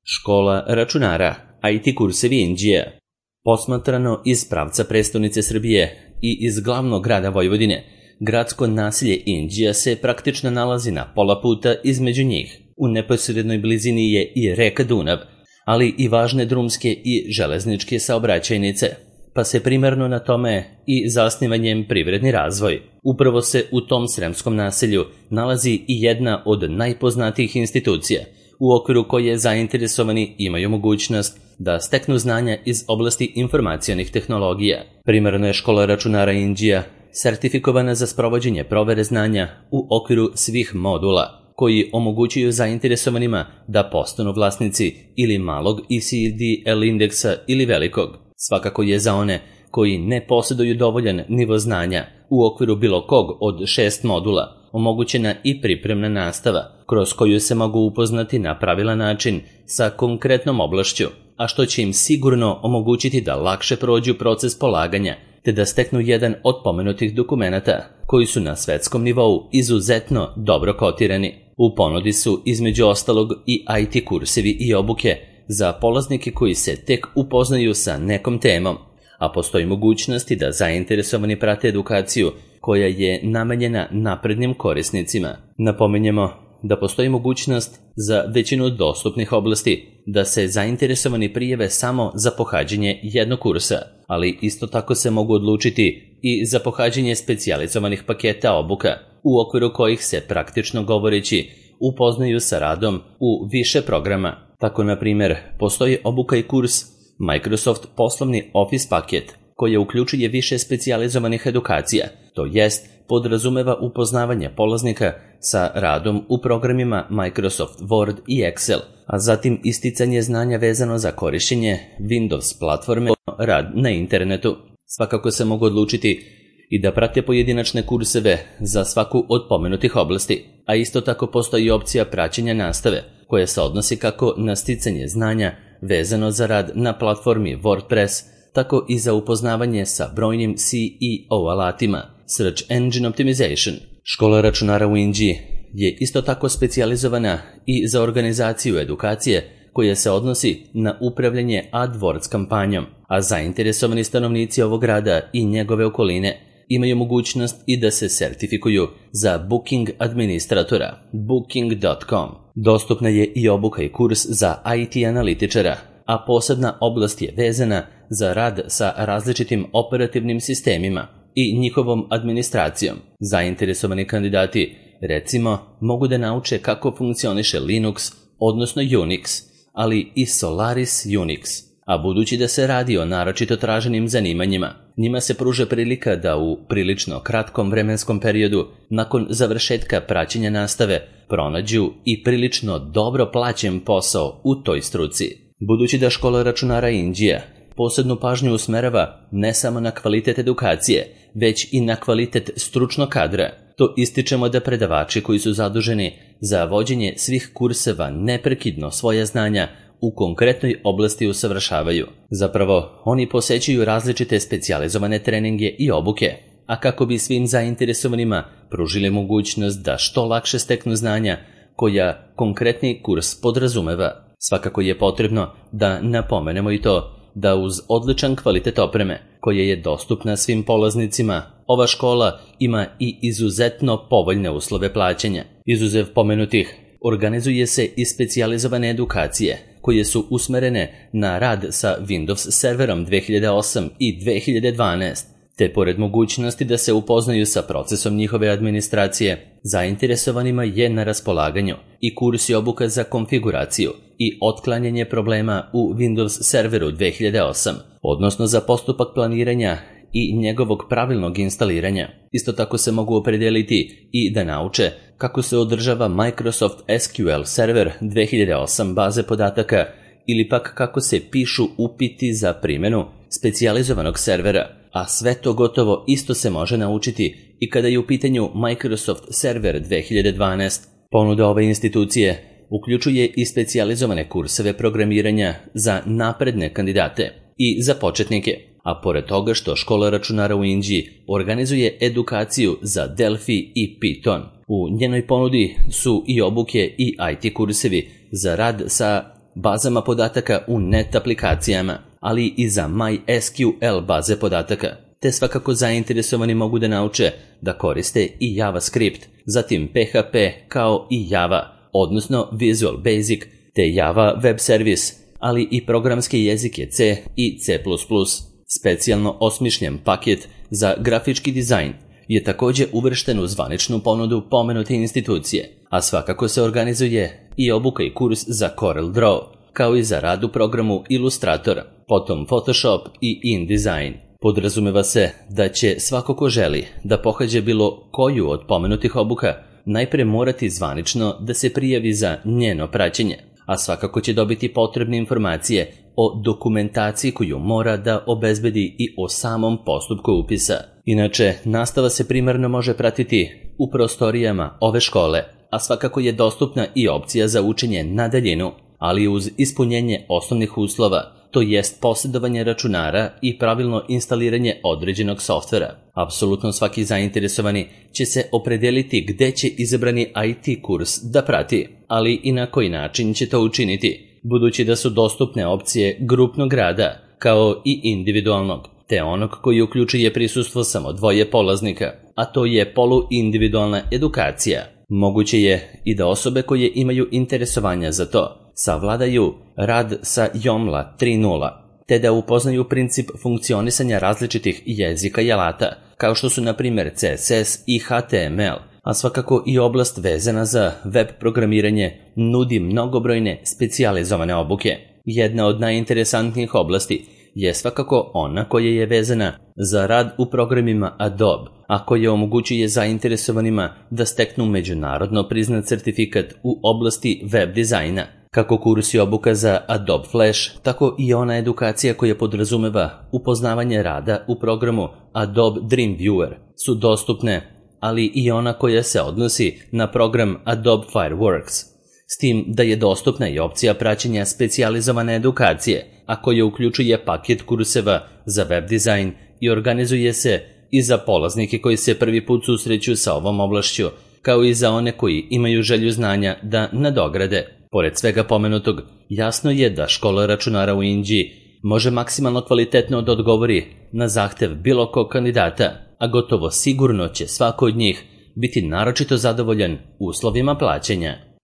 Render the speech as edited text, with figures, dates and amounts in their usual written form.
Škola računara, IT kursevi Inđija. Posmatrano iz pravca prestonice Srbije i iz glavnog grada Vojvodine, gradsko naselje Inđija se praktično nalazi na pola puta između njih. U neposrednoj blizini je i reka Dunav, ali i važne drumske i železničke saobraćajnice, pa se primarno na tome i zasnivanjem privredni razvoj. Upravo se u tom sremskom naselju nalazi i jedna od najpoznatijih institucija, u okviru koje zainteresovani imaju mogućnost da steknu znanja iz oblasti informacionih tehnologija. Primarno je škola računara Inđija sertifikovana za sprovođenje provere znanja u okviru svih modula, koji omogućuju zainteresovanima da postanu vlasnici ili malog ECDL indeksa ili velikog. Svakako je za one koji ne posjeduju dovoljan nivo znanja u okviru bilo kog od 6 modula omogućena i pripremna nastava, kroz koju se mogu upoznati na pravilan način sa konkretnom oblašću, a što će im sigurno omogućiti da lakše prođu proces polaganja, te da steknu jedan od pomenutih dokumenata, koji su na svetskom nivou izuzetno dobro kotirani. U ponudi su između ostalog i IT kursevi i obuke za polaznike koji se tek upoznaju sa nekom temom, a postoji mogućnosti da zainteresovani prate edukaciju koja je namenjena naprednim korisnicima. Napominjemo da postoji mogućnost za većinu dostupnih oblasti da se zainteresovani prijave samo za pohađanje jednog kursa, ali isto tako se mogu odlučiti i za pohađanje specijalizovanih paketa obuka, u okviru kojih se praktično govoreći upoznaju sa radom u više programa. Tako, na primjer, postoji obuka i kurs Microsoft poslovni Office paket, koja uključuje više specijalizovanih edukacija, to jest podrazumeva upoznavanje polaznika sa radom u programima Microsoft Word i Excel, a zatim isticanje znanja vezano za korišćenje Windows platforme, rad na internetu. Svakako se mogu odlučiti i da prate pojedinačne kurseve za svaku od pomenutih oblasti, a isto tako postoji opcija praćenja nastave, koja se odnosi kako na sticanje znanja vezano za rad na platformi WordPress, tako i za upoznavanje sa brojnim SEO alatima, Search Engine Optimization. Škola računara u Inđiji je isto tako specijalizovana i za organizaciju edukacije koja se odnosi na upravljanje AdWords kampanjom, a zainteresovani stanovnici ovog grada i njegove okoline imaju mogućnost i da se sertifikuju za Booking administratora, booking.com. Dostupna je i obuka i kurs za IT analitičara, a posebna oblast je vezana za rad sa različitim operativnim sistemima i njihovom administracijom. Zainteresovani kandidati, recimo, mogu da nauče kako funkcioniše Linux, odnosno Unix, ali i Solaris Unix. A budući da se radi o naročito traženim zanimanjima, njima se pruža prilika da u prilično kratkom vremenskom periodu, nakon završetka praćenja nastave, pronađu i prilično dobro plaćen posao u toj struci. Budući da škola računara Inđija posebnu pažnju usmerava ne samo na kvalitet edukacije, već i na kvalitet stručnog kadra, to ističemo da predavači koji su zaduženi za vođenje svih kurseva neprekidno svoja znanja u konkretnoj oblasti usavršavaju. Zapravo, oni posećuju različite specijalizovane treninge i obuke, a kako bi svim zainteresovanima pružili mogućnost da što lakše steknu znanja koja konkretni kurs podrazumeva. Svakako je potrebno da napomenemo i to da uz odličan kvalitet opreme, koja je dostupna svim polaznicima, ova škola ima i izuzetno povoljne uslove plaćanja. Izuzev pomenutih, organizuje se i specijalizovane edukacije, koje su usmerene na rad sa Windows serverom 2008 i 2012, te pored mogućnosti da se upoznaju sa procesom njihove administracije, zainteresovanima je na raspolaganju i kurs i obuka za konfiguraciju i otklanjanje problema u Windows serveru 2008, odnosno za postupak planiranja i njegovog pravilnog instaliranja. Isto tako se mogu opredeliti i da nauče kako se održava Microsoft SQL server 2008 baze podataka ili pak kako se pišu upiti za primjenu specijalizovanog servera, a sve to gotovo isto se može naučiti i kada je u pitanju Microsoft server 2012. Ponuda ove institucije uključuje i specijalizovane kurseve programiranja za napredne kandidate i za početnike, a pored toga što škola računara u Inđiji organizuje edukaciju za Delphi i Python. U njenoj ponudi su i obuke i IT kursevi za rad sa bazama podataka u net aplikacijama, ali i za MySQL baze podataka. Te svakako zainteresovani mogu da nauče da koriste i JavaScript, zatim PHP kao i Java, odnosno Visual Basic, te Java Web Service, ali i programske jezike C i C++. Specijalno osmišljen paket za grafički dizajn je također uvršten u zvaničnu ponudu pomenute institucije, a svakako se organizuje i obuka i kurs za CorelDRAW, kao i za rad u programu Illustrator, potom Photoshop i InDesign. Podrazumeva se da će svako ko želi da pohađa bilo koju od pomenutih obuka najpre morati zvanično da se prijavi za njeno praćenje, a svakako će dobiti potrebne informacije o dokumentaciji koju mora da obezbedi i o samom postupku upisa. Inače, nastava se primarno može pratiti u prostorijama ove škole, a svakako je dostupna i opcija za učenje na daljinu, ali uz ispunjenje osnovnih uslova, to jest posjedovanje računara i pravilno instaliranje određenog softvera. Apsolutno svaki zainteresovani će se opredeliti gde će izabrani IT kurs da prati, ali i na koji način će to učiniti, budući da su dostupne opcije grupnog rada, kao i individualnog, te onog koji uključuje prisustvo samo 2 polaznika, a to je poluindividualna edukacija. Moguće je i da osobe koje imaju interesovanja za to savladaju rad sa JOML 3.0, te da upoznaju princip funkcionisanja različitih jezika i alata, kao što su na primjer CSS i HTML, a svakako i oblast vezana za web programiranje nudi mnogobrojne specijalizovane obuke. Jedna od najinteresantnijih oblasti je svakako ona koja je vezana za rad u programima Adobe, a koja omogućuje zainteresovanima da steknu međunarodno priznat certifikat u oblasti web dizajna. Kako kursi obuka za Adobe Flash, tako i ona edukacija koja podrazumeva upoznavanje rada u programu Adobe Dreamweaver su dostupne, ali i ona koja se odnosi na program Adobe Fireworks, s tim da je dostupna i opcija praćenja specijalizovane edukacije, a koja uključuje paket kurseva za web dizajn i organizuje se i za polaznike koji se prvi put susreću sa ovom oblašću, kao i za one koji imaju želju znanja da nadograde. Pored svega pomenutog, jasno je da škola računara u Inđiji može maksimalno kvalitetno da odgovori na zahtev bilo kog kandidata, a gotovo sigurno će svako od njih biti naročito zadovoljan uslovima plaćanja.